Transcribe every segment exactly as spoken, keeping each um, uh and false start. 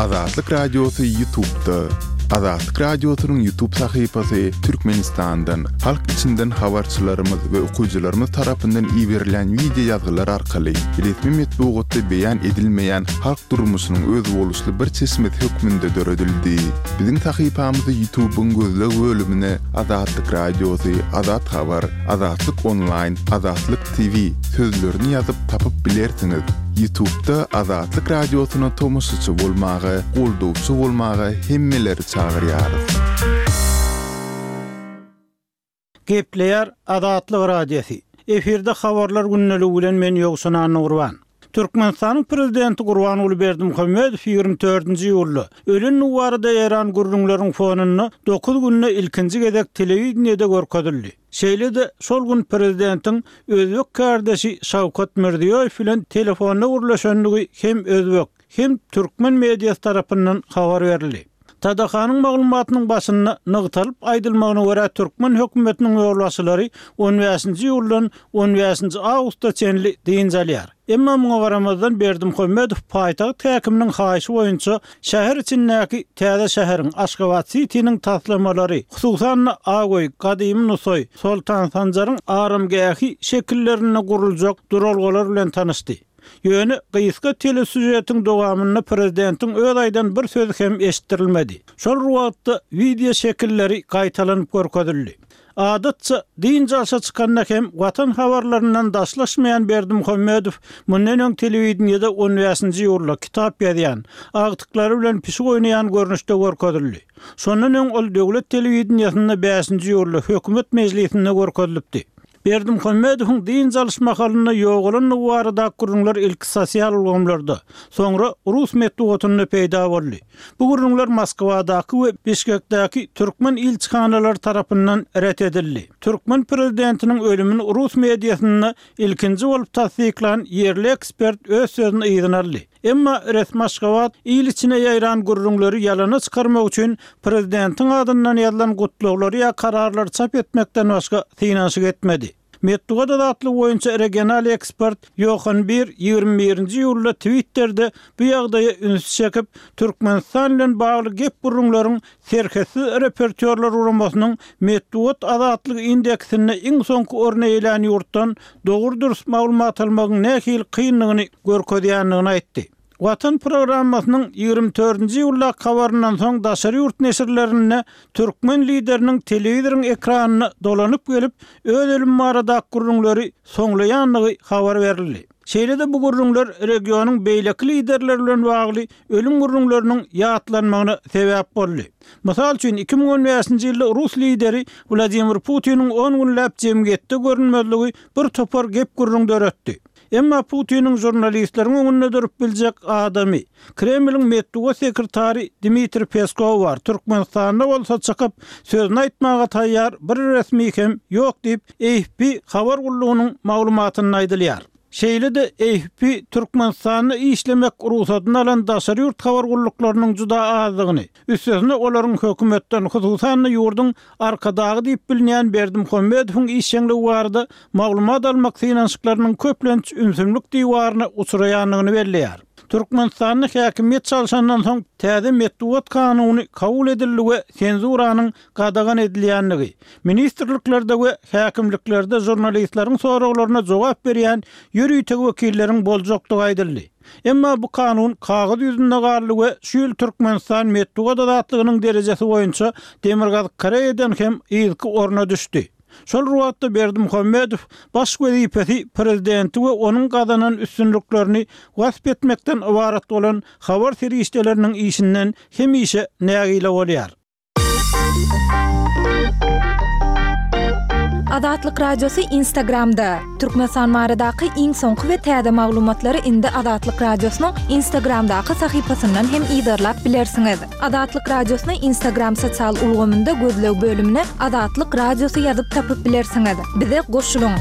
Azatlyk Radiosy YouTube'da. Azatlyk Radiosynyň YouTube sahypasy Türkmenistandan, halk içinden habarçylarymyz we okyjylarymyz tarapyndan iberilen wideo ýazgylar arkaly resmi metbugatda beýan edilmeýän halk durmuşynyň özboluşly bir çeşmesi hökmünde döredildi. Biziň sahypamyzy YouTube'yň gözleg bölümine Azatlyk Radiosy, Azat Habar, Azatlyk Online, Azatlyk T V sözlerini ýazyp tapyp bilersiňiz. YouTube'da Azatlyk Radiosyna tomaşaçy bolmaga, goldawçy bolmaga hemmeleri çagyrýarys. Gepleýär Azatlyk Radiosy. Efirde habarlar gündeligi bilen men Ýowşan Annagurban. Türkmenistanyň prezidenti Gurbanguly Berdimuhamedow ýigrimi dördünji iýulda ölen barada Eýran gürrüňleriň fonunda dokuz günde ilkinji gezek telewideniýede görkezildi. Şeýle-de şol gün prezidentiň özbek kardeşi Şawkat Mirziýoýew bilen telefonda gürleşendigi hem özbek hem türkmen mediasy tarapyndan habar berildi. Tadahanyň maglumatynyň başynda nygtalyp aýdylmagyna görä türkmen hökümetiniň ýolbaşçylary on bäşinji iýuldan on bäşinji awgusta çenli dynç alýar. Emma muňa garamazdan Berdimuhamedow paýtagt häkiminiň haýyşy boýunça şäher içindäki täze şäheriň Aşgabat City'niň taslamalary, hususan Agoý, Gadymy Nusaý, Soltan Sanjaryň aramgähi şekillerinde guruljak duralgalar bilen tanyşdy. Ýöne gysga telesüžetiň dowamynda prezidentiň öz aýdan bir sözi hem eşitdirilmedi. Şol wagtda wideo şekilleri gaýtalanyp görkezildi. Adatça dynç alşa çykanda hem watan habarlaryndan daşlaşmaýan Berdimuhamedow mundan öň telewideniýede on bäşinji iýulda kitap ýazýan, agtyklary bilen pişik oýnaýan görnüşde görkezildi. Şondan öň ol döwlet telewideniýesinde bäşinji iýulda hökümet mejlisinde görkezilipdi. Berdimuhamedowyň dynç alyş mahalynda ýogalandygy barada gürrüňler ilki sosial ulgamlarda, soňra rus metbugatynda peýda boldy. Bu gürrüňler Moskwadaky we Bişkekdäki türkmen ilçihanalary tarapyndan ret edildi. Türkmen prezidentiniň ölümini rus mediasynda ilkinji bolup tassyklan ýerli ekspert öz sözüni yzyna aldy. Emma resmi Aşgabat il içine ýaýran gürrüňleri ýalana çykarmak üçin prezidentiň adyndan ýazylan gutlaglary ýa kararlary çap etmekden başga synanyşyk etmedi. Metbugat azatlygy boýunça regional ekspert Johan Bir ýigrimi birinji iýulda Twitter'de bu ýagdaýa üns çekip, Türkmenistan bilen bagly gep gürrüňleriň serhetsiz repertuarlar guramasynyň metbugat azatlygy indeksinde iň soňky orny eýelän ýurtdan dogry-dürs maglumat almagyň nähili kynlygyny görkezýändigini aýtdy. Watan programmasynyň ýigrimi dördünji iýulda habaryndan soň daşary ýurt neşirlerinde türkmen lideriniň telewizoryň ekranyna dolanyp gelip, öz ölüm barada gürrüňleri soňlaýandygy habar berildi. Şeýle-de bu gürrüňler regionyň beýleki liderleri bilen bagly ölüm gürrüňleriniň ýatlanmagyna sebäp boldy. Mysal üçin iki müň on bäşinji ýylda rus lideri Wladimir Putiniň on günläp jemgyýetde görünmezligi bir topar gep gürrüň döretdi. Emma Putiniň žurnalistleriň öňünde durup biljek adamy Kremliň metbugat sekretary Dmitri Peskow bar. Türkmenistanda bolsa çykyp sözüni aýtmaga taýýar bir resmi hem ýok diýip A F P habar gullugynyň maglumatynda aýdylýar. Şeýle-de A F P Türkmenistanda işlemek rugsadyny alan daşary ýurt habar gulluklarynyň juda azdygyny, üstesine olaryň hökümetden, hususan-da ýurduň Arkadagy diýip bilinýän Berdimuhamedowyň işjeňligi barada maglumat almak synanyşyklarynyň köplenç ümsümlik diwaryna uçraýandygyny belleýär. Türkmenistanda häkimiýet çalşandan soň täze metbugat kanuny kabul edildi we senzuranyň gadagan edilýändigi, ministrliklerde we häkimliklerde žurnalistleriň soraglaryna jogap berýän ýörite wekilleriň boljakdygy aýdyldy. Emma bu kanun kagyz ýüzünde galdy we şu ýyl Türkmenistan metbugat azatlygynyň derejesi boýunça Demirgazyk Koreýadan hem yzky orna düşdi. Şol wagtda Berdimuhamedow baş wezipesi prezidenti we onuň gazanan üstünliklerini wasp etmekden ybarat bolan habar serişdeleriniň işinden hemişe nägile bolýar. Azatlyk Radiosy Instagramda. Türkmenistan baradaky iň soňky we täze maglumatlary indi Azatlyk Radiosynyň Instagramdaky sahypasyndan hem yzarlap bilersiňiz. Azatlyk Radiosyny Instagram sosial ulgamynda gözleg bölümine Azatlyk Radiosy ýazyp tapyp bilersiňiz. Bize goşulyň.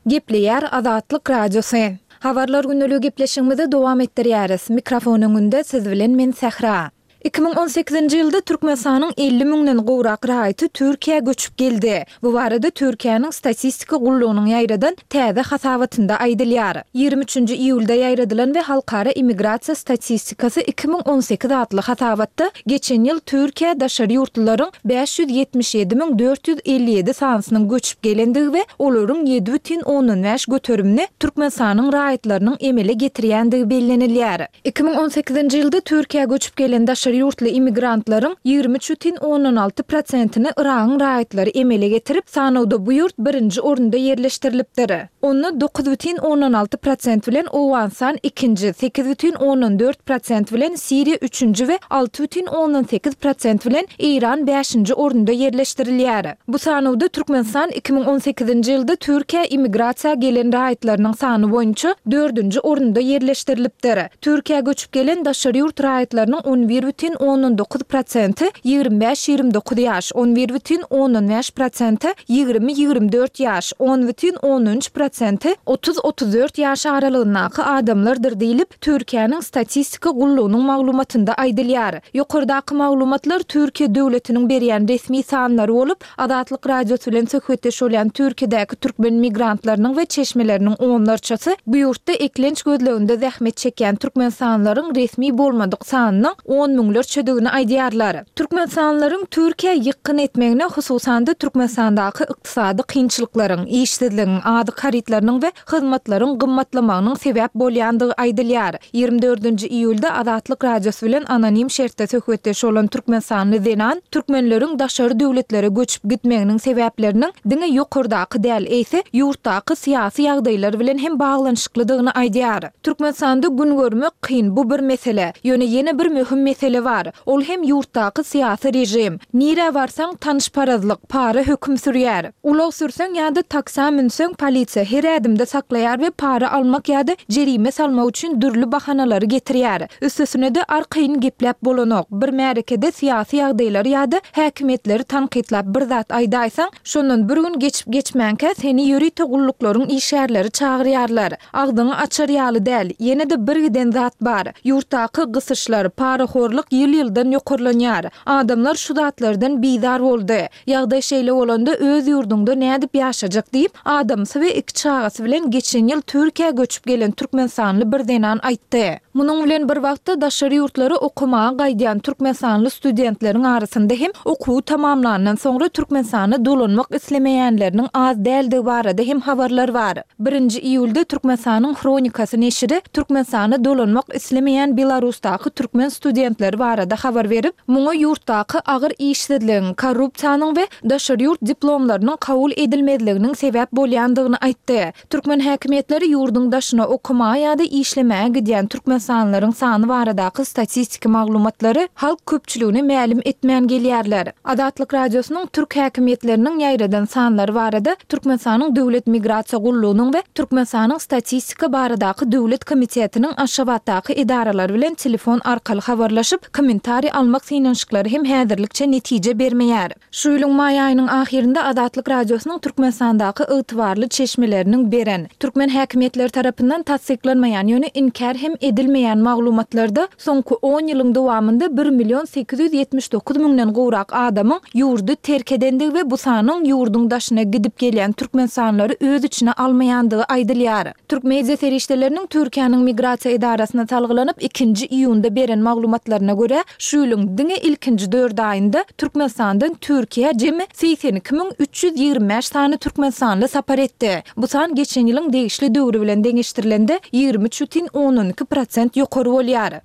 Gepleýär Azatlyk Radiosy. Habarlar gündeligi gepleşigimizi dowam etdirýäris. Mikrofon öňünde siz bilen men Sähra. Iki müň on sekizinji ýylda Türkmenistanyň elli müňden gowrak raýaty Türkiýä göçüp geldi. Bu barada Türkiýäniň statistika gullugynyň ýaýradan täze hasabatynda aýdylýar. Ýigrimi üçünji iýulda ýaýradylan we Halkara immigrasiýa statistikasy iki müň on sekiz atly hasabatda geçen ýyl Türkiýä daşary ýurtlularyň bäş ýüz ýetmiş ýedi müň dört ýüz elli ýedi sanysynyň göçüp gelendigi we olaryň ýedi bütin ondan bäş göterimini Türkmenistanyň raýatlarynyň emele getirýändigi bellenilýär. Iki müň on sekizinji ýylda Türkiýä göçüp gelen daşary ýurtly immigrantlaryň ýigrimi üç bütin ondan alty prosentini Yragyň raýatlary emele getirip, sanawda bu ýurt birinji orunda ýerleşdirilipdir. Onda dokuz bütin ondan alty prosent bilen Owganystan ikinji, sekiz bütin ondan dört prosent bilen Siriýa üçünji we alty bütin ondan sekiz prosent bilen Eýran bäşinji orunda ýerleşdirilýär. Bu sanawda Türkmenistan iki müň on sekizinji ýylda Türkiýä immigrasiýa gelen raýatlarynyň sany boýunça dördünji orunda ýerleşdirilipdir. Türkiýä göçüp gelen daşary ýurt raýatlarynyň on bir bütin ondan dokuz prosenti ýigrimi bäş ýigrimi dokuz ýaş, on bir bütin ondan bäş prosenti ýigrimi ýigrimi dört ýaş, on bütin ondan üç prosenti otuz otuz dört ýaş aralygyndaky adamlardyr diýlip, Türkiýäniň statistika gullugynyň maglumatynda aýdylýar. Ýokardaky maglumatlar Türkiýe döwletiniň berýän resmi sanlary bolup, Azatlyk Radiosy bilen söhbetdeş bolýan Türkiýedäki türkmen migrantlarynyň we çeşmeleriniň onlarçasy bu ýurtda eklenç gözleginde zähmet çekýän türkmenistanlylaryň resmi bolmadyk sanynyň on müňlerçedigini aýdýarlar. Türkmenistanlylaryň Türkiýä ýykgyn etmegine hususan-da Türkmenistandaky ykdysady kynçylyklaryň, işsizligiň, azyk harytlarynyň we hyzmatlaryň gymmatlamagynyň sebäp bolýandygy aýdylýar. Ýigrimi dördünji iýulda Azatlyk Radiosy bilen anonim şertde söhbetdeş bolan türkmenistanly zenan türkmenleriň daşary döwletlere göçüp gitmeginiň sebäpleriniň diňe ýokardaky däl, eýse ýurtdaky syýasy ýagdaýlar bilen hem baglanyşyklydygyny aýdýar. Türkmenistanda gün görmek kyn, bu bir mesele. Ýöne ýene bir möhüm mesele bar. Ol hem ýurtdaky syýasy rejim. Nirä barsaň tanyşparazlyk, para höküm sürýär. Ulag sürseň ýa-da taksa münseň polisiýa her ädimde saklaýar we para almak ýa-da jerime salmak üçin dürli bahanalary getirýär. Üstesine-de arkaýyn gepläp bolanok. Bir märekede syýasy ýagdaýlary ýa-da häkimiýetleri tankytlap bir zat aýdaýsaň, şondan bir gün geçip geçmänkä seni ýörite gulluklaryň işgärleri çagyrýarlar. Agzyňy açar ýaly däl, ýene-de bir giden zat bar. Ýurtdaky gysyşlar, parahorluk ýyl-ýyldan ýokarlanýar. Adamlar şu zatlardan bizar boldy. Ýagdaý şeýle bolanda öz ýurduňda nädip ýaşajak diýip, adamsy we iki çagasy bilen geçen ýyl Türkiýä göçüp gelen türkmenistanly bir zenan aýtdy. Munuň bilen bir wagtda daşary ýurtlara okamaga gaýdýan türkmenistanly studentleriň arasynda hem okuwy tamamlandan soňra Türkmenistana dolanmak islemeýänleriniň az däldigi barada hem habarlar bar. Birinji iýulda Türkmenistanyň Hronikasy neşiri Türkmenistana dolanmak islemeýän Belarusdaky türkmen studentleri barada habar berip, muňa ýurtdaky agyr işsizligiň, korrupsiýanyň we daşary ýurt diplomlarynyň kabul edilmezliginiň sebäp bolýandygyny aýtdy. Türkmen häkimiýetleri ýurduň daşyna okamaga ýa-da işlemäge gidýän türkmenistanlylaryň sany baradaky statistiki maglumatlary halk köpçüligine mälim etmän gelýärler. Azatlyk Radiosynyň türk häkimiýetleriniň ýaýradan sanlary barada Türkmenistanyň Döwlet Migrasiýa Gullugynyň we Türkmenistanyň Statistika baradaky Döwlet Komitetiniň Aşgabatdaky edaralary bilen telefon arkaly habarlaşyp, kommentariý almak synanyşyklary hem häzirlikçe netije bermeýär. Şu ýylyň maý aýynyň ahyrynda Azatlyk Radiosynyň Türkmenistandaky ygtybarly çeşmeleriniň beren türkmen häkimiýetleri tarapyndan tassyklanmaýan, ýöne inkär hem edilmeýän maglumatlarda soňky on ýylyň dowamynda bir million sekiz ýüz ýetmiş dokuz müňden gowrak adamyň ýurdy terk edendigi we bu sanyň ýurduň daşyna gidip gelýän türkmenistanlylary öz içine almaýandygy aýdylýar. Türk media serişdeleriniň Türkiýäniň migrasiýa edarasyna salgylanyp ikinji iýunda beren maglumatlaryna görä, şu ýylyň diňe ilkinji dört aýynda Türkmenistandan Türkiýä jemi segsen iki müň üç ýüz ýigrimi bäş sany türkmenistanly sapar etdi. Bu san geçen ýylyň degişli döwri bilen deňeşdirilende ýigrimi üç bütin ondan iki prosent ýokary bolýar.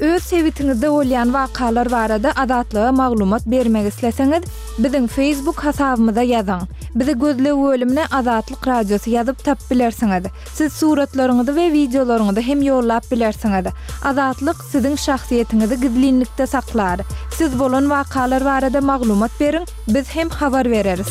Öz sebitiňizde bolýan wakalar barada Azatlyga maglumat bermek isleseňiz, biziň Facebook hasabymyza ýazyň. Bizi gözleg bölümine Azatlyk Radiosy ýazyp tapyp bilersiňiz. Siz suratlaryňyzy we wideolaryňyzy hem ýollap bilersiňiz. Azatlyk siziň şahsyýetiňizi gizlinlikde saklar. Siz bolan wakalar barada maglumat beriň, biz hem habar bereris.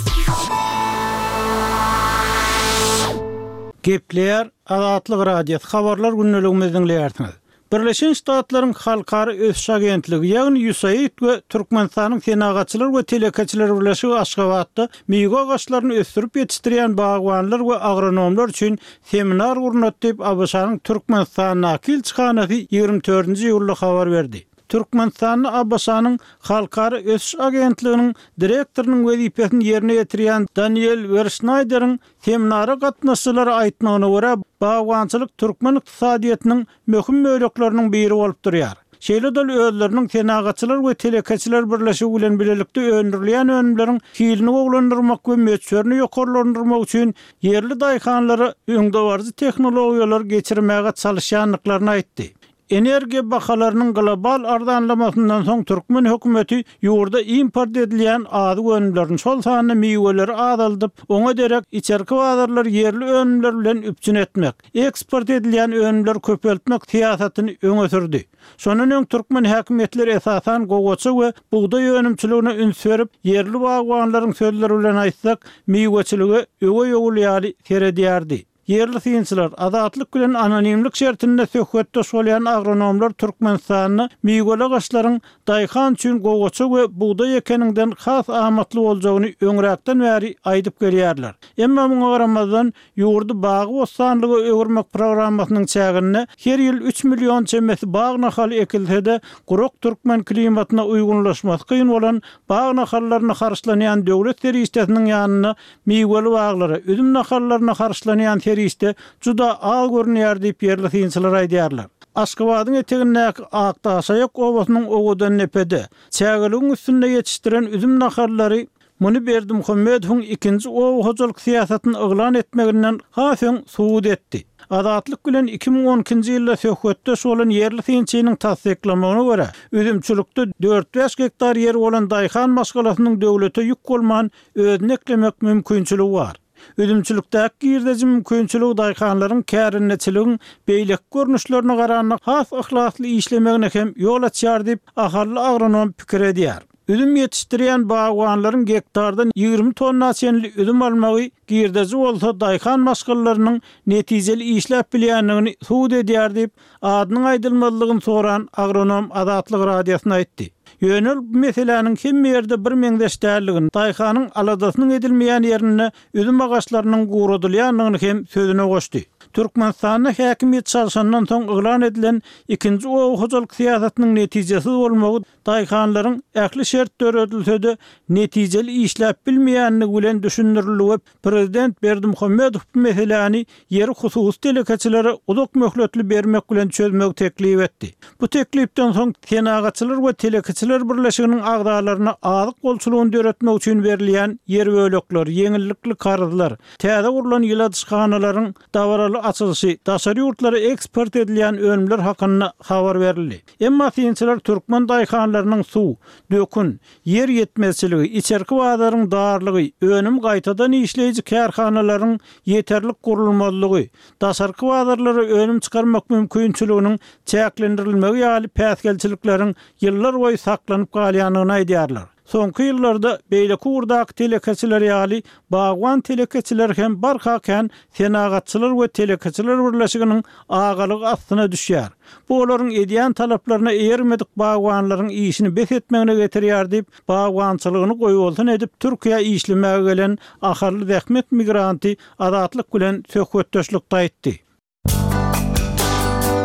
Gepleýär Azatlyk Radiosy habarlar gündeligimizi diňleýärsiňiz. Birleşen Ştatlaryň Halkara ösüş agentligi, ýagny USAID we Türkmenistanyň Senagatçylar we telekeçiler birleşigi Aşgabatda miwe agaçlaryny ösdürip ýetişdirýän bagbanlar we agronomlar üçin seminar gurnady diýip, ABŞ-nyň Türkmenistandaky ilçihanasy ýigrimi dördünji iýulda habar berdi. Türkmenistanda ABŞ-nyň Halkara ösüş agentliginiň direktorynyň wezipesini ýerine ýetirýän Daniel Werşnaýderiň seminara gatnaşyjylara aýtmagyna görä, bagbançylyk türkmen ykdysadyýetiniň möhüm bölekleriniň biri bolup durýar. Şeýle-de ol özleriniň Senagatçylar we telekeçiler birleşigi bilen bilelikde öndürilýän önümleriň hilini gowulandyrmak we möçberini ýokarlandyrmak üçin ýerli daýhanlara öňdebaryjy tehnologiýalary geçirmäge çalyşýandyklaryny aýtdy. Energiýa bahalarynyň global arzanlamasyndan soň türkmen hökümeti ýurda import edilýän azyk önümlerini, şol sanda miweleri azaldyp, oňa derek içerki bazarlary ýerli önümler bilen üpjün etmek, eksport edilýän önümleri köpeltmek syýasatyny öňe sürdi. Şondan öň türkmen häkimiýetleri esasan gowaça we bugdaý önümçiligine üns berip, ýerli bagbanlaryň sözleri bilen aýtsak, miweçilige öweý ogul ýaly seredýärdi. Ýerli synçylar, Azatlyk bilen anonimlik şertinde söhbetdeş bolýan agronomlar Türkmenistanda miweli agaçlaryň daýhan üçin gowaça we bugdaý ekeniňden has amatly boljagyny öňräkden bäri aýdyp gelýärler. Emma muňa garamazdan, ýurdy bagy-bossanlyga öwürmek programmasynyň çäginde her ýyl üç million çemesi bag nahaly ekilse-de, gurak türkmen klimatyna uýgunlaşmasy kyn bolan bag nahallaryna harçlanýan döwlet serişdesiniň ýanynda Miweli baglara, üzüm nahallaryna harçlanýan serişde juda az görünýär diýip, ýerli synçylar aýdýarlar. Aşgabadyň etegindäki Akdaşaýak obasynyň Owadandepede, çägeligiň üstünde ýetişdiren üzüm nahallary muny Berdimuhamedowyň ikinji oba hojalyk syýasatyny yglan etmeginden has öň subut etdi. Azatlyk bilen iki müň on ikinji ýylda söhbetdeş bolan ýerli synçynyň tassyklamagyna görä, üzümçilikde dört-bäş gektar ýeri bolan daýhan maşgalasynyň döwlete ýük bolman özüni eklemek mümkinçiligi bar. Üzümçilikdäki girdeji mümkinçiligi daýhanlaryň kärendeçiligiň beýleki görnüşlerine garanda has yhlasly işlemegine hem ýol açýar diýip, ahally agronom pikir edýär. Üzüm ýetişdirýän bagbanlaryň gektardan ýigrimi tonna çenli üzüm almagy girdeji bolsa daýhan maşgalalarynyň netijeli işläp bilýändigini subut edýär diýip, adynyň aýdylmazlygyny soran agronom Azatlyk Radiosyna aýtdy. Ýöne ol bu meseläniň hemme ýerde bir meňzeş däldigini, daýhanyň aladasynyň edilmeýän ýerinde üzüm agaçlarynyň guradylýandygyny hem sözüne goşdy. Türkmenistanda häkimiýet çalşandan soň yglan edilen ikinji oba hojalyk syýasatynyň netijesiz bolmagy daýhanlaryň ähli şert döredilse-de netijeli işläp bilmeýändigi bilen düşündirildi we prezident Berdimuhamedow bu meseläni ýeri hususy telekeçilere uzak möhletli bermek bilen çözmegi teklip etdi. Bu teklipden soň Senagatçylar we telekeçiler birleşiginiň agzalaryna azyk bolçulygyny döretmek üçin berilýän ýer bölekleri, ýeňillikli karzlar, täze gurlan ýyladyşhanalaryň dabaraly açylyşy, daşary ýurtlara eksport edilýän önümler hakynda habar berildi. Emma synçylar türkmen daýhanlarynyň suw, dökün, ýer ýetmezçiligi, içerki bazaryň darlygy, önüm gaýtadan işleýji kärhanalaryň ýeterlik gurulmazlygy, daşarky bazarlara önüm çykarmak mümkinçiliginiň çäklendirilmegi ýaly päsgelçilikleriň ýyllarboýy saklanyp galýandygyny aýdýarlar. Soňky ýyllarda beýleki ugurdaky telekeçiler ýaly, bagban telekeçiler hem barha kän Senagatçylar we telekeçiler birleşiginiň agalygy astyna düşýär. Bu olaryň edýän talaplaryna eýermedik bagbanlaryň işini bes etmegine getirýär diýip, bagbançylygyny goýbolsun edip Türkiýä işlemäge gelen ahally zähmet migranty Azatlyk bilen söhbetdeşlikde aýtdy.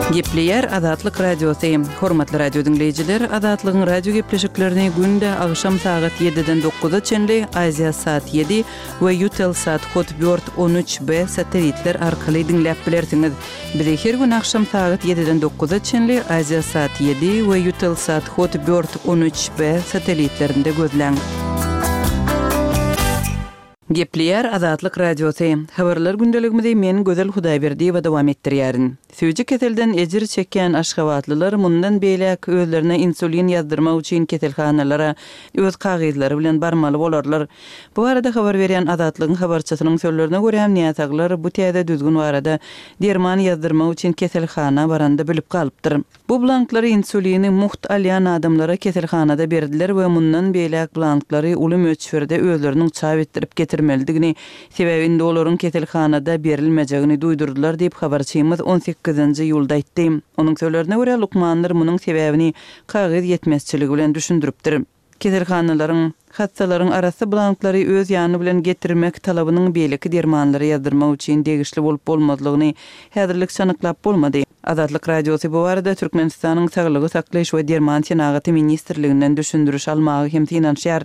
Gepleýär Azatlyk Radiosy. Hormatly radio diňleýjiler, Azatlygyň radio gepleşiklerini günde agşam sagat ýediden dokuza çenli Aziasat ýedi we Eutelsat Hotbird on üç B satelitler arkaly diňläp bilersiňiz. Bizi her gün agşam sagat ýediden dokuza çenli Aziasat ýedi we Eutelsat Hotbird on üç B satelitlerinde gözläň. Gepleýär Azatlyk Radiosy. Habarlar gündeligimizi men Gözel Hudaýberdiýewa dowam etdirýärin. Süýji keselden ejir çekýän aşgabatlylar mundan beýläk özlerine insulin ýazdyrmak üçin keselhanalara öz kagyzlary bilen barmaly bolarlar. Bu barada habar berýän Azatlygyň habarçysynyň sözlerine görä, näsaglar bu täze düzgün barada derman ýazdyrmak üçin keselhana baranda bilip galypdyr. Bu blanklary insulini mugt alýan adamlara keselhanada berdiler we mundan beýläk blanklary uly möçberde özleriniň çap etdirip getirmelidigini, sebäbi indi olaryň keselhanada berilmejegini duýdurdylar diýip, habarçymyz on sekizinji sekizinji iýulda aýtdy. Onuň sözlerine görä, lukmanlar munuň sebäbini kagyz ýetmezçiligi bilen düşündiripdir. Keselhanalaryň, hassalaryň arassa blanklary öz ýany bilen getirmek talabynyň beýleki dermanlary ýazdyrmak üçin degişli bolup bolmazlygyny häzirlikçe anyklap bolmady. Azatlyk Radiosy bu barada Türkmenistanyň Saglygy saklaýyş we derman senagaty ministrliginden düşündiriş almaga hem synanyşýar.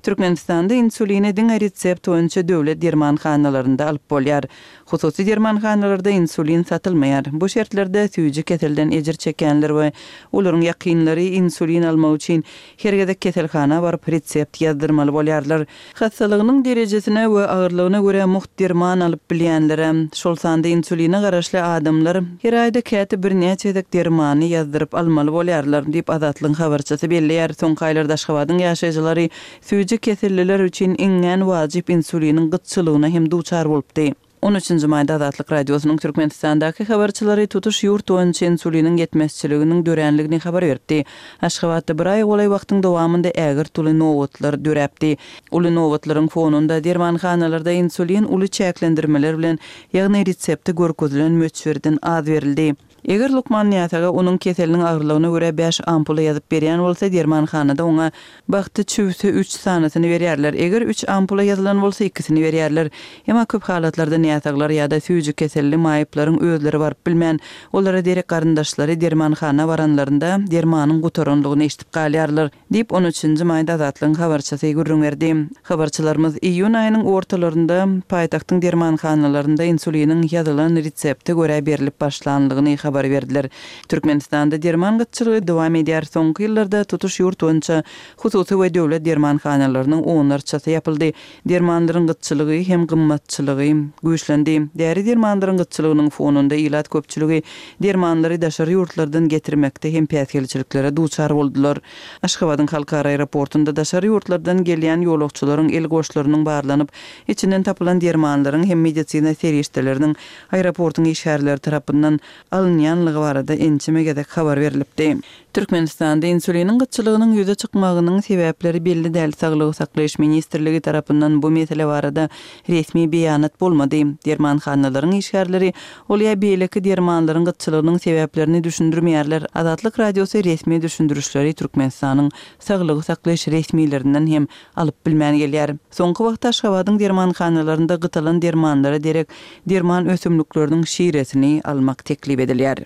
Türkmenistanda insulini diňe resept boýunça döwlet dermanhanalarynda alyp bolýar. Hususy dermanhanalarda insulin satylmaýar. Bu şertlerde süýji keselden ejir çekýänler we olaryň ýakynlary insulin almak üçin her gezek keselhana baryp resept ýazdyrmaly bolýarlar. Hassalygynyň derejesine we agyrlygyna görä mugt derman alyp bilýänlere, şol sanda insuline garaşly adamlar her aýda käte birnäçe gezek dermany ýazdyryp almaly bolýarlar diýip Azatlygyň habarçysy belleýär. Soňky aýlarda Aşgabadyň ýaşaýjylary süýji keselliler üçin iňňän wajyp insuliniň gytçylygyna hem duçar bolupdy. On üçünji maýda Azatlyk Radiosynyň Türkmenistandaky habarçylary tutuş ýurt boýunça insuliniň ýetmezçiliginiň döränligini habar beripdi. Aşgabatda bir aý golaý wagtyň dowamynda ägirt uly nobatlar döräpdi. Uly nobatlaryň fonunda dermanhanalarda insulin uly çäklendirmeler bilen, ýagny resepte görkezilen möçberden az berildi. Eger lukman näsaga onuň keseliniň agyrlygyna görä bäş ampula ýazyp berýän bolsa, dermanhanada oňa bagty çüwse üç sanysyny berýärler. Eger üç ampula ýazylan bolsa, ikisini berýärler. Emma köp halatlarda näsaglar ýa-da süýji keselli maýyplaryň özleri baryp bilmän, olara derek garyndaşlary dermanhana baranlarynda dermanyň gutaranlygyny eşidip galýarlar, diýip, on üçünji maýda Azatlygyň habarçysy gürrüň berdi. Habarçylarymyz iýun aýynyň ortalarynda paýtagtyň dermanhanalarynda insuliniň ýazylan resepte görä berlip başlanlygyny habar berdiler. Türkmenistanda derman gytçylygy dowam edýär. Soňky ýyllarda tutuş ýurt boýunça hususy we döwlet dermanhanalarynyň onlarçasy ýapyldy. Dermanlaryň gytçylygy hem gymmatçylygy güýçlendi. Däri dermanlaryň gytçylygynyň fonunda ilat köpçüligi dermanlary daşary ýurtlardan getirmekde hem päsgelçiliklere duçar boldular. Aşgabadyň halkara aeroportunda daşary ýurtlardan gelýän ýolagçylaryň el goşlarynyň barlanyp, içinden tapylan dermanlaryň hem medisina serişdeleriniň aeroportuň işgärleri tarapyndan alynýanlygy barada ençeme gezek habar berlipdi. Türkmenistanda insuliniň gytçylygynyň ýüze çykmagynyň sebäpleri belli däl. Saglygy saklaýyş ministrligi tarapyndan bu mesele barada resmi beýanat bolmady. Dermanhanalaryň işgärleri ol ýa beýleki dermanlaryň gytçylygynyň sebäplerini düşündirmeýärler. Azatlyk Radiosy resmi düşündirişleri Türkmenistanyň saglygy saklaýyş resmilerinden hem alyp bilmän gelýär. Soňky wagtda Aşgabadyň dermanhanalarynda gytalan dermanlara derek derman ösümlikleriniň şiresini almak teklip edilýär.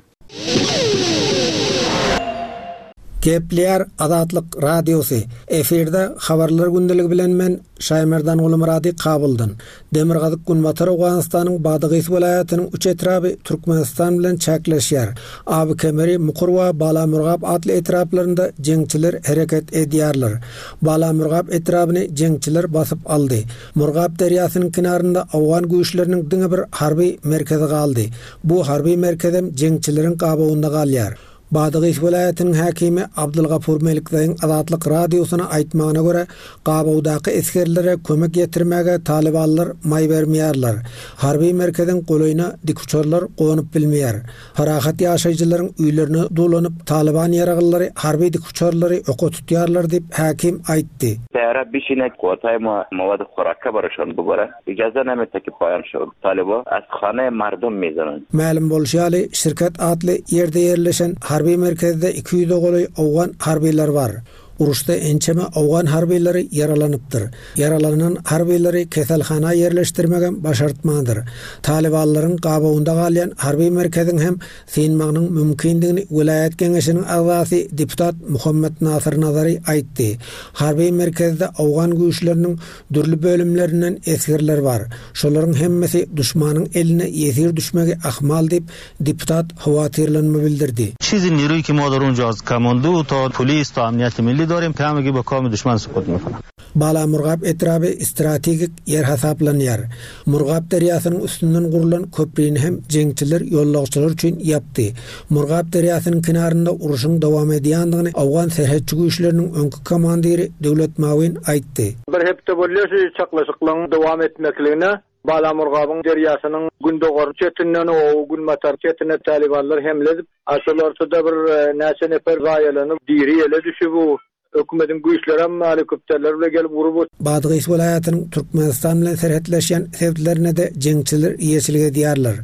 Gepleýär Azatlyk Radiosy. Efirde habarlar gündeligi bilen men Şaýmerdan Gulmyrady Kabuldan. Demirgazyk Günbatar Owganystanyň Badagys welaýatynyň üç etraby Türkmenistan bilen çäkleşýär. Aby Kemeri, Mukur we Balamurgap atly etraplarynda jeňçiler hereket edýärler. Balamurgap etrabyny jeňçiler basyp aldy. Murgap derýasynyň kenarynda Owgan güýçleriniň diňe bir harby merkezi galdy. Bu harby merkezem jeňçileriň gabawynda galýar. Badagys welaýatynyň häkimi Abdulgafur Melikzaýyň Azatlyk Radiosyna aýtmagyna görä, gabawdaky esgerlere kömek ýetirmäge talybanlar maý bermeýärler. Harby merkeziň golaýyna dikuçarlar gonup bilmeýär. Parahat ýaşaýjylaryň öýlerine dolanyp, talyban ýaragylary harby dikuçarlary oka tutýarlar diýip häkim aýtdy. Tära bişine kotay ma mawad khoraka barşan bu bara. Ijaza name tekip paýan şu talyba askhana mardum mezanan. Mälim bolşy ýaly, şirket atly ýerde ýerleşen harby merkezde iki ýüz golaý Owgan harbylar bar. Uruşda ençeme Owgan harbylary ýaralanypdyr. Ýaralanan harbylary keselhana ýerleşdirmegem başartmandyr. Talybanlaryň gabawynda galýan harby merkeziň hem synmagynyň mümkindigini welaýat geňeşiniň agzasy deputat Muhammed Nasir Nazary aýtdy. Harby merkezde Owgan güýçleriniň dürli bölümlerinden esgerler bar. Şolaryň hemmesi düşmanyň eline ýesir düşmegi ahmal diýip deputat howatyrlanma bildirdi. Çizi niruý ki ma dar unja az komando ta polis ta amniyet milli darim ki hamagi ba kam düşman sukut mekana. Balamurgap etraby strategik ýer hasaplanýar. Murgap derýasynyň üstünden gurlan köprüni hem jeňçiler ýolagçylar üçin ýapdy. Murgap derýasynyň kenarynda uruşyň dowam edýändigini Owgan serhetçi güýçleriniň öňki komandiri Döwlet Mawin aýtdy. Bir hepde bolýar şu çaklaşyklaryň dowam etmekligine Balamurgabyň derýasynyň gündogar çetinden o günbatar çetine talibanlar hemle edip, aşyl ortada bir, e, näçe nefer zaýalanyp, diri ele düşüp, bu Hökümetiň güýçleri hem helikopterler bilen gelip urup. Badgys welaýatynyň Türkmenistan bilen serhetleşýän sebitlerine-de jeňçiler eýeçilik edýärler.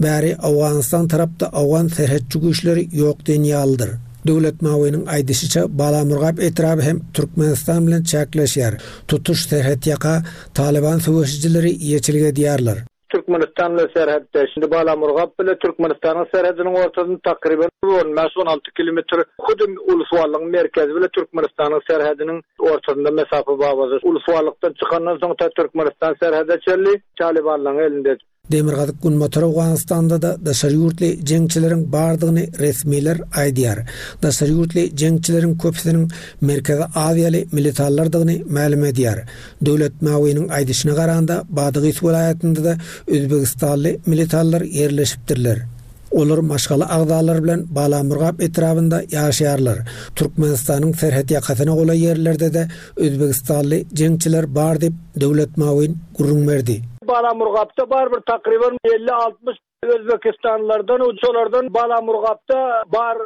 Bäri Owganystan tarapda owgan serhetçi güýçleri ýok diýen ýalydyr. Döwlet Mawynyň aýdyşyça Balamurgap etraby hem Türkmenistan bilen çäkleşýär. Tutuş serhet ýaka Taliban söweşijileri eýeçilik edýärler. Türkmenistan bilen serhetde. Şimdi Balamurgap bile Türkmenistanyň serhediniň ortasynda takriben on bäş on alty kilometr hudum Ulusuwallygyň merkezi bile Türkmenistanyň serhediniň ortasynda mesafe babadyr. Ulusuwallykdan çykandan soň ta Türkmenistan serhede çenli Talibanlaryň elinde. Demirgazyk Günbatar Owganystanda da daşary ýurtly jeňçileriň bardygyny resmiler aýdýar. Daşary ýurtly jeňçileriň köpüsiniň Merkezi Aziýaly militarlardygyny mälim edýär. Döwlet Mawynyň aýdyşyna garanda Badagys welaýatynda da Özbegistanly militarlar ýerleşipdirler. Olar maşgala agzalary bilen Balamurgap etrabynda ýaşaýarlar. Türkmenistanyň serhet ýakasyna golaý ýerlerde de Özbegistanly jeňçiler bar diýip Döwlet Mawin gürrüň berdi. Balamurgapda bar bir takriben elli altmyş Özbekistanlylardan, uçalardan Balamurgapda bar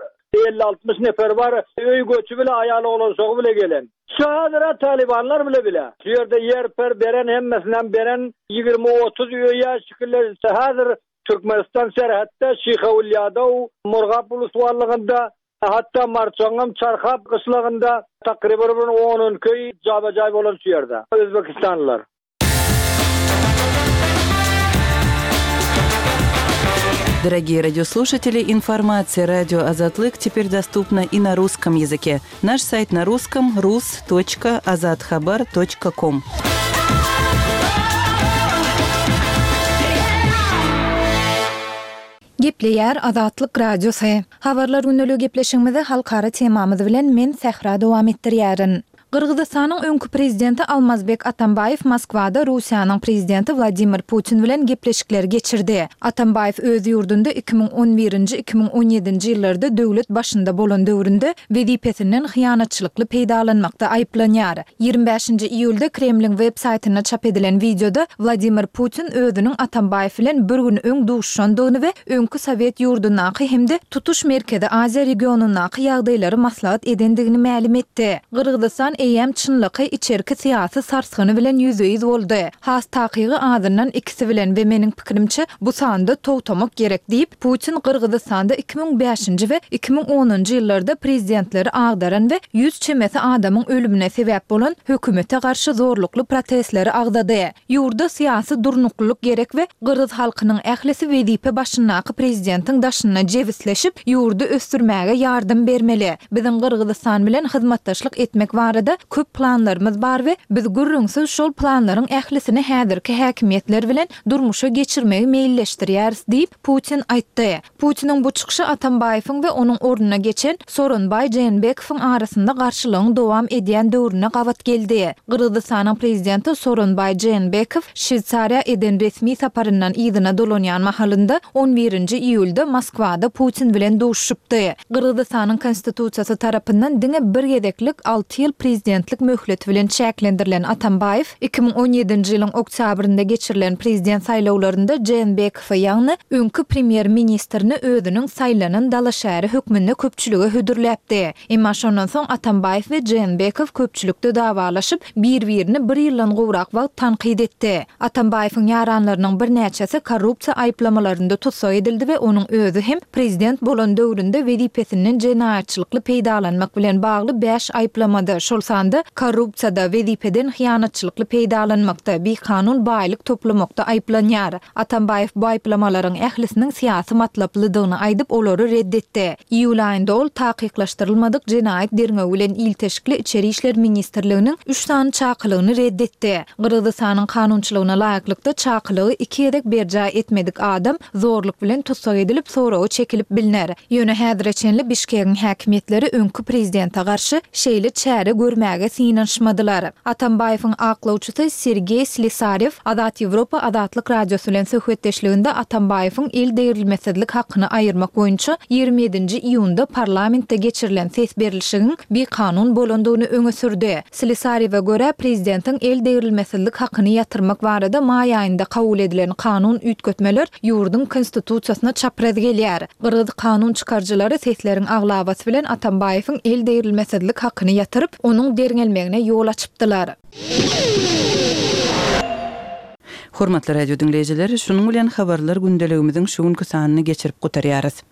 elli altmyş nefer bar. Öý göçi bile aýaly oglan bile gelen. Şu Talibanlar bile bile. Şu ýerde ýer per beren hemmesinden beren ýigrimi otuz öýe şekiller häzir Türkmenistan serhetde Şihawilyada, Murgap Ulusuwallygynda, hatta Marçaňam Çarhap gyşlagynda takriben bir on köý jaba-jaý bolan şu ýerde. Özbekistanlylar. Дорогие радиослушатели, информация радио Азатлык теперь доступна и на русском языке. Наш сайт на русском рус точка азатхабар точка ком. Gepleýär Azatlyk Radiosy. Habarlar günlügi gepleşigimizi halkara temamyz bilen men Sähra dowam etdirýärin. Gyrgyzystanyň öňkü prezidenti Almazbek Atambaýew Moskwada Russiýanyň prezidenti Wladimir Putin bilen gepleşikler geçirdi. Atambaýew öz ýurdunda iki müň on birinji iki müň on ýedinji ýyllarda döwlet başynda bolan döwründe wezipesinden hyýanatçylykly peýdalanmakda aýyplanýar. Ýigrimi bäşinji iýulda Kremliň web saýtynda çap edilen wideoda Wladimir Putin özüniň Atambaýew bilen bir gün öň duşandygyny we öňkü Sowet ýurdundaky hem-de tutuş Merkezi Aziýa regionundaky ýagdaýlary maslahat edendigini mälim etdi. Gyrgyzystan eýem çynlyky içerki syýasy sarsgyny bilen ýüzbe-ýüz boldy. Has takygy azyndan ikisi bilen we meniň pikirimçe bu sanda togtamak gerek diýip Putin Gyrgyzystanda iki müň bäşinji we iki müň onunjy ýyllarda prezidentleri agdaran we ýüz çemesi adamyň ölümine sebäp bolan hökümete garşy zorlukly protestleri agdady. Ýurda syýasy durnuklylyk gerek we Gyrgyz halkynyň ählisi wezipe başyndaky prezidentiň daşyna jebisleşip ýurdy ösdürmäge ýardam bermeli. Biziň Gyrgyzystan bilen hyzmatdaşlyk etmek barada köp planlarymyz bar we biz gürrüňsiz şol planlaryň ählisini häzirki häkimiýetler bilen durmuşa geçirmegi meýilleşdirýäris diýip Putin aýtdy. Putiniň bu çykyşy Atambaýewiň we onuň ornuna geçen Soronbaý Jeenbekowyň arasynda garşylygyň dowam edýän döwrüne gabat geldi. Gyrgyzystanyň prezidenti Soronbaý Jeenbekow Şweýsariýa eden resmi saparyndan yzyna dolanýan mahalynda on birinji iýulda Moskwada Putin bilen duşupdy. Gyrgyzystanyň konstitusiýasy tarapyndan diňe bir gezeklik alty ýyl prezidentlik möhleti bilen çäklendirilen Atambaýew iki müň on ýedinji ýylyň oktýabrynda geçirilen prezident saýlawlarynda Jeenbekowy ýagny öňkü premýer-ministrini özüniň saýlanan dalaşgäri hökmünde köpçülige hödürläpdi. Emma şondan soň Atambaýew we Jeenbekow köpçülikde dawalaşyp, bir-birini bir ýyldan gowrak wagt tankyt etdi. Atambaýewiň ýaranlarynyň birnäçesi korrupsiýa aýyplamalarynda tussag edildi we onuň özi hem prezident bolan döwründe wezipesinden jenaýatçylykly peýdalanmak bilen bagly bäş aýyplamada, şol sanda korrupsiýada, wezipeden hyýanatçylykly peýdalanmakda, bikanun baýlyk toplamakda aýyplanýar. Atambaýew bu aýyplamalaryň ählisiniň syýasy matlaplydygyny aýdyp, olary reddetdi. Iýul aýynda ol takyklaşdyrylmadyk jenaýat derňewi bilen ilteşikli Içeri işler ministrliginiň üç sany çakylygyny reddetdi. Gyrgyzystanyň kanunçylygyna laýyklykda çakylygy iki gezek berjaý etmedik adam zorluk bilen tussag edilip, soragy çekilip bilner. Ýöne häzire çenli Bişkegiň häkimiýetleri öňkü prezidente garşy şeýle çäre görmedi. görmäge synanyşmadylar. Atambaýewiň aklawçysy Sergeý Slesarew Azat Ýewropa Azatlyk Radiosy bilen söhbetdeşliginde Atambaýewiň el degrilmesizlik hakyny aýyrmak boýunça ýigrimi ýedinji iýunda parlamentde geçirilen ses berlişigiň bikanun bolandygyny öňe sürdi. Slesarewe görä, prezidentiň el degrilmesizlik hakyny ýatyrmak barada maý aýynda kabul edilen kanun üýtgetmeler ýurduň Konstitusiýasyna çapraz gelýär. Gyrgyz kanun çykaryjylary sesleriň aglabasy bilen Atambaýewiň el degrilmesizlik hakyny ýatyryp, onuň derňelmegine ýol açypdylar. Hormatly radio diňleýjiler, şunuň bilen habarlar gündeligimiziň şu günki sanyny geçirip gutarýarys.